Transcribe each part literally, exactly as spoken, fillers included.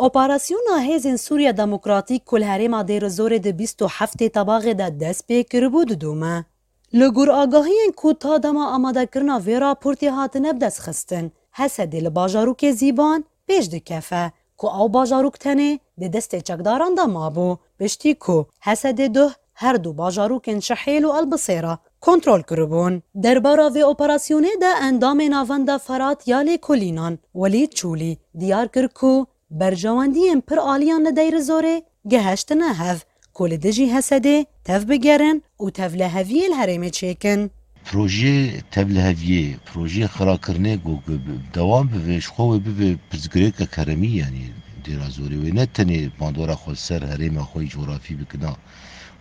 Operasyona Hêzên Sûriya Demokratîk ku li herêma Dêrizorê di bîst û heftê Tebaxê de dest pê kiribû didome. Li gor agahiyên ku ta dema amadekirina vê raportê hatine bidestxistin, Hesedê li bajarokê Zîban pêş dikefe ku ew bajarok tenê di destê çekdaran de mabû, piştî ku Hesedê duh her du bajarokên Şihêl û Elbisêra kontrol kiribûn. Derbara vê operasyonê de endamê Navenda Ferat ya Lêkolînan Welîd Çûlî diyar kir ku berjewendiyên pir aliyan li Dêrizorê giheştine hev ku li dijî Hesedê tevbigerin û tevliheviyê li herêmê çêkin. Projeyê tevliheviyê, projeyê xirakirinê ku bi dewam bibe, ji xwe wê bibe pirsgirêke keremî, yanî Dêrizorê wê ne tenê bandora xwe ser herêma xwe yî cografî bikina,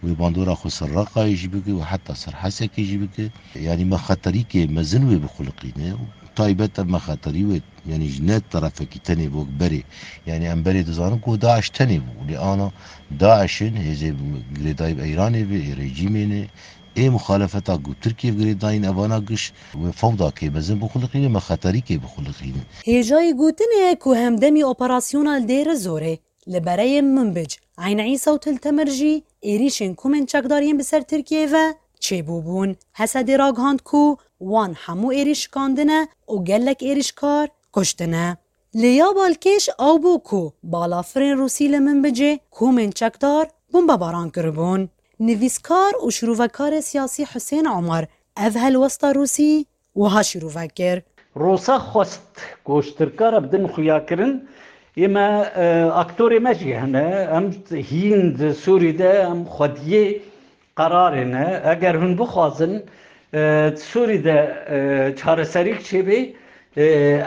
wê bandora xwe ser Reqayê jî bike û heta ser Hesekê jî bike. Yanî me xeterîkê mezin wê bixuliqîne û taybet em me xeterî wê, yanî ji ne terefekî tenê wek berê. Yanî em berê dizanin ku DAIŞ tenê bû. Lê ana DAIŞ'in hêzê girêdayî bi Îranê ve, ê rejîmê ne, ê muxalefeta ku Tirkiye girêdayîn evana giş wê fewdakê mezin bixuliqîne, me xeterîkê bixuliqîne. Hêjayî gotinê ye ku hemdemî operasyona li Dêrizorê li bereyên Minbic, Eyn Îsa û Til Temir jî êrîşên komên çekdar yên bi ser Tirkiyeyê ve çêbûbûn. Hesedê ragihand ku wan hemû êrîş şikandine û gelek êrîşkar kuştine. Lê ya balkêş ew bû ku balafirên Rûsî li Minbicê komên çekdar bombebaran kiribûn. Nivîskar û şîrovekarê siyasî Husên Omar ev helwesta Rûsî wiha şîrove kir. Rosa xwest ku ji Tirka re bidin xuyakirin, ê me, e, aktorê me jî hene. Em hîn di Sûrî de em xwediyê qerarê ne. Eger hûn bixwazin, e, di Sûrî de, e, çareserîk çêbê, e,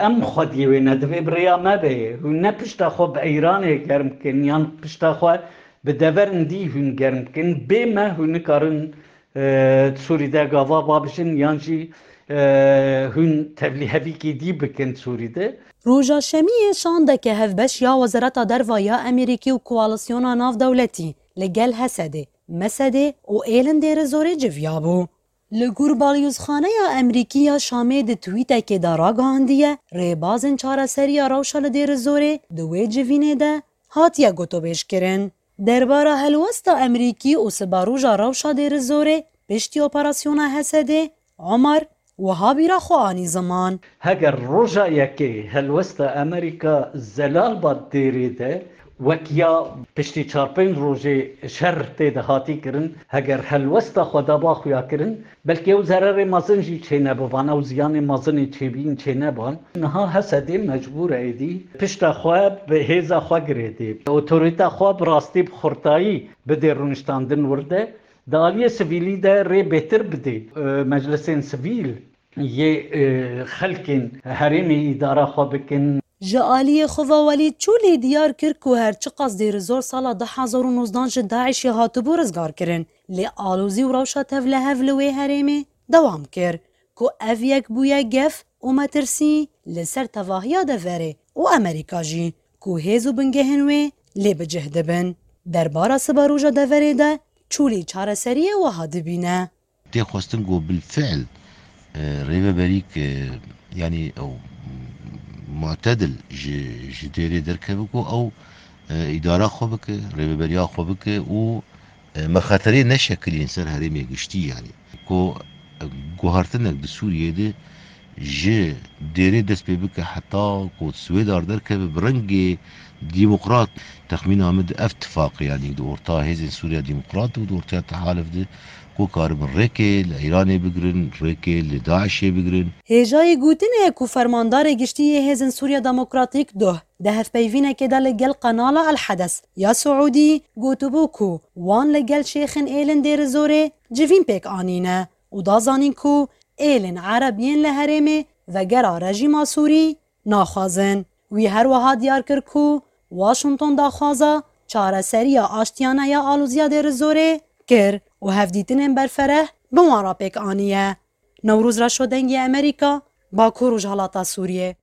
em xwediyê wê ne. Divê bi rêya me be. Hûn ne pişta xwe bi Îranê germ bikin, yan pişta xwe bi deverên dî hûn germ bikin. Bê me hûn nikarin e, Sûrî de gava babijin yan jî, e, hûn tevlîhevîkî dî bikin Sûrî de. Roja Şemiyê şandeke hevbeş ya Wezareta Derva ya Amerîkî û koalîsyona navdewletî li gel Hesedê, Mesedê û êlin Dêrizorê civiyabû. Li gor Balyozxaneya Amerîkî ya Şamê di twîtekê de ragihandiye, rêbazên çareseriya rewşa li Dêrizorê di wê civînê de hatiye gotobêjkirin. Derbara helwesta Amerîkî û sibaroja rewşa Dêrizorê piştî operasyona Hesedê, Omar wiha bîra xwe anî ziman. Heger roja yekê helwesta Amerîka zelal ba Dêrê de, wek ya piştî çar pênc rojê şer tê de hatî kirin, heger helwesta xwe daba xuya kirin, belkî ew zererê mezin jî çênebivan, ew ziyanê mezinê çêbîn çêneban. Niha Hesedê mecbûr e êdî pişta xwe bi hêza xwe girêdê, otorîta xwe bi rastî bi xurtayî bidê rûniştandin wir de, di aliyê sivîlî de rê bêtir bidê, e, meclisên sivîl yê, e, xelkên herêmê îdara xwe bikin. Ji aliyê xwe ve Welîd Çûlî diyar kir ku her çiqas Dêrizor sala du hezar û nozdan ji DAIŞ'ê hatibû rizgarkirin, lê alozî û rewşa tevlihev li wê herêmê dewam kir, ku ev yek bûye gef û metirsî li ser tevahiya deverê û Amerîka jî, ku hêz û bingehên wê lê bi cih dibin. Derbara sibaroja deverê de Çûlî çareseriyê wiha dibîne. Tê xwestin ku bilfiil, e, rêveberîk, e, yanî ew mu'tedil ji, ji Dêrê derkeve ku ew, e, îdara xwe bike, rêveberiya xwe bike û, e, me xeterê neşekilîn ser herêmê giştî, yanî ku, e, guhertinek di Sûriyê de ji Dêrê dest pê bike heta ku Swêdar derkeve bi rengê demokrat. Texmîna min di ev tifaqê, yanî di orta hêzên Sûriya Demokrat û di ortaya tehalif de ku karibin rêkê li Îranê bigirin, rêkê li DAIŞ'ê bigirin. Hêjayî gotinê ye ku Fermandarê Giştî yê Hêzên Sûriya Demokratîk duh di hevpeyvînekê de li gel Qenala El Hedes ya Siûdî gotibû ku wan li gel şêxên êlin Dêrizorê civîn pêk anîne û da zanîn ku êlên Ereb yên li herêmê vegera rejîma Sûrî naxwazin. Wî her wiha diyar kir ku Washington daxwaza çareseriya aştiyane ya aloziya Dêrizorê kir û hevdîtinên berfereh bi wan re pêk aniye. Newroz Reşo, Dengê Amerîka, Bakur Rojhilata Sûriyê.